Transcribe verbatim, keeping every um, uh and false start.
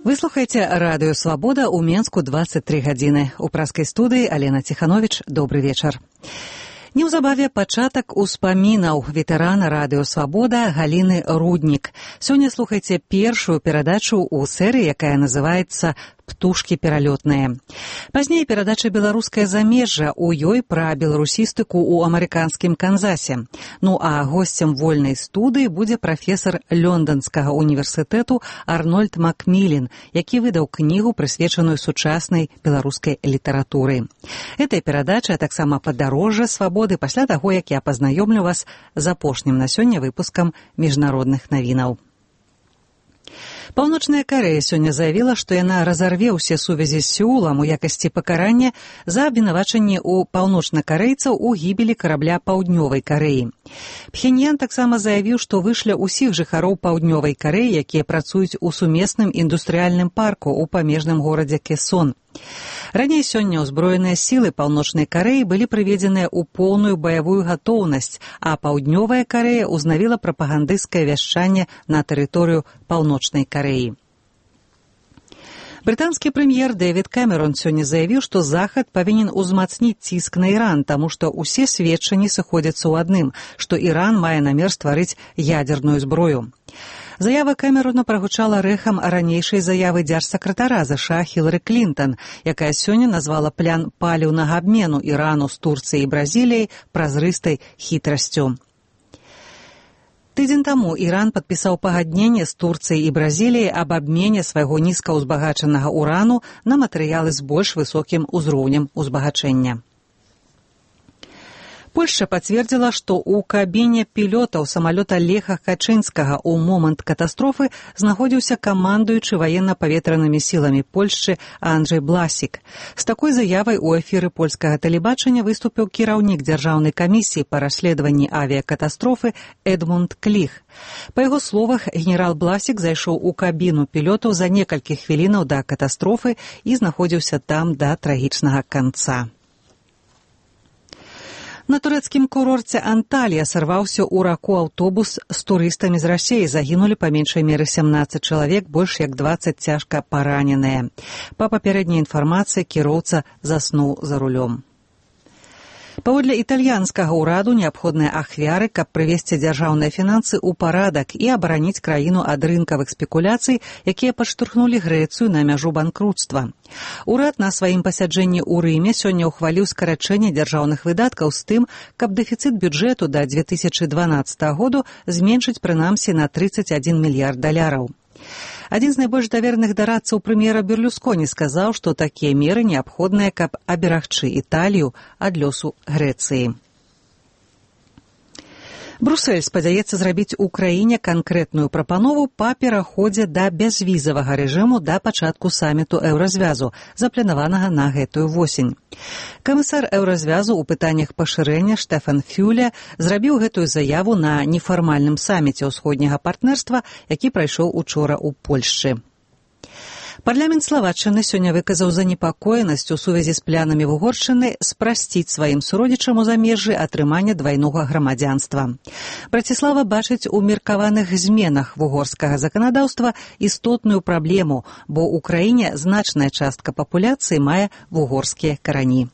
Вы слухаеце радыё «Свабода» ў Менску дваццаць тры гадзіны. У праскай студыі Алена Ціхановіч. Добры вечар. Неўзабаве пачатак успамінаў ветэрана радыё «Свабода» Галіны Руднік. Сёння слухайце першую перадачу ў серыі, якая называецца «Птушкі пералётныя». Пазней перадача «Беларускае замежжа», у ёй пра беларусістыку ў амерыканскім Канзасе. Ну а госцем вольнай студыі будзе прафесар Лёнданскага універсітэту Арнольд Макмілен, які выдаў кнігу, прысвечаную сучаснай беларускай літаратуры. Эта перадача таксама падарожжа свабоды пасля таго, як я пазнаёмлю вас з апошнім на сёння выпускам міжнародных навінаў. Паўночная Карэя сёння заявіла, што яна разарве ўсе сувязі з Сеулам у якасці пакарання за абвінавачанне ў паўночнакарэйцаў у гібелі карабля Паўднёвай Карэі. Пхеньян таксама заявіў, што вышля ўсіх жыхароў Паўднёвай Карэі, якія працуюць у сумесным індустрыяльным парку ў памежным горадзе Кесон. Раней сёння ўзброеныя сілы Паўночнай Карэі былі прыведзеныя ў поўную баявую гатоўнасць, а Паўднёвая Карэя ўзнавіла прапагандысцкае вяшчанне на тэрыторыю Паўночнай Карэі. Брытанскі прэм'ер Дэвід Кэмерон сёння заявіў, што Захад павінен узмацніць ціск на Іран, таму што ўсе сведчанні сыходзяцца ў адным, што Іран мае намер стварыць ядерную зброю. Заява Кэмерона прагучала рэхам ранейшай заявы дзяржсакратара ЗША Хілары Клінтан, якая сёння назвала план паліўнага абмену Ірану з Турцыяй і Бразіліяй празрыстай хітрасцю. Тыдзень таму Іран падпісаў пагадненне з Турцыяй і Бразіліяй аб абмене свайго нізкаўзбагачанага урану на матэрыялы з больш высокім узроўнем узбагачэння. Польшча пацвердзіла, што ў кабіне пілётаў самалёта Леха Качынскага ў момант катастрофы знаходзіўся камандуючы ваенна-паветранымі сіламі Польшчы Анджэй Бласік. З такой заявай у эфіры польскага тэлебачання выступіў кіраўнік дзяржаўнай камісіі па расследаванні авіякатастрофы Эдмунд Кліх. Па яго словах, генерал Бласік зайшоў у кабіну пілётаў за некалькі хвілінаў да катастрофы і знаходзіўся там да трагічнага канца. На турэцкім курорце Анталія сарваўся ў раку аўтобус з турыстамі з Расіі. Загінулі па меншай меры сямнаццаць чалавек, больш як дваццаць цяжка параненыя. Па папярэдняй інфармацыі, кіроўца заснуў за рулём. Паводле італьянскага ўраду неабходныя ахвяры, каб прывесці дзяржаўныя фінансы ў парадак і абараніць краіну ад рынкавых спекуляцый, якія падштурхнулі Грэцыю на мяжу банкруцтва. Урад на сваім пасяджэнні ў Рыме сёння ўхваліў скарачэнне дзяржаўных выдаткаў з тым, каб дэфіцыт бюджэту да дзве тысячы дванаццатага году зменшыць прынамсі на трыццаць адзін мільярд даляраў. Адзін з найбольш даверных дарадцаў прэм'ера Берлюсконі сказаў, што такія меры неабходныя, каб аберагчы Італію ад лёсу Грэцыі. Брусэль спадзяецца зрабіць у краіне канкрэтную прапанову па пераходзе да бязвізавага рэжыму да пачатку саміту еўразвязу, запланаванага на гэтую восень. Камісар еўразвязу ў пытаннях пашырэння Штэфан Фюле зрабіў гэтую заяву на нефармальным саміце ўсходняга партнерства, які прайшоў учора ў Польшчы. Парламент Славаччыны сёння выказаў занепакоенасць у сувязі з планамі Угоршчыны спрасціць сваім суродзічам у замежжы атрымання двайнога грамадзянства. Браціслава бачыць у меркаваных зменах вугорскага заканадаўства істотную праблему, бо ў краіне значная частка папуляцыі мае вугорскія карані.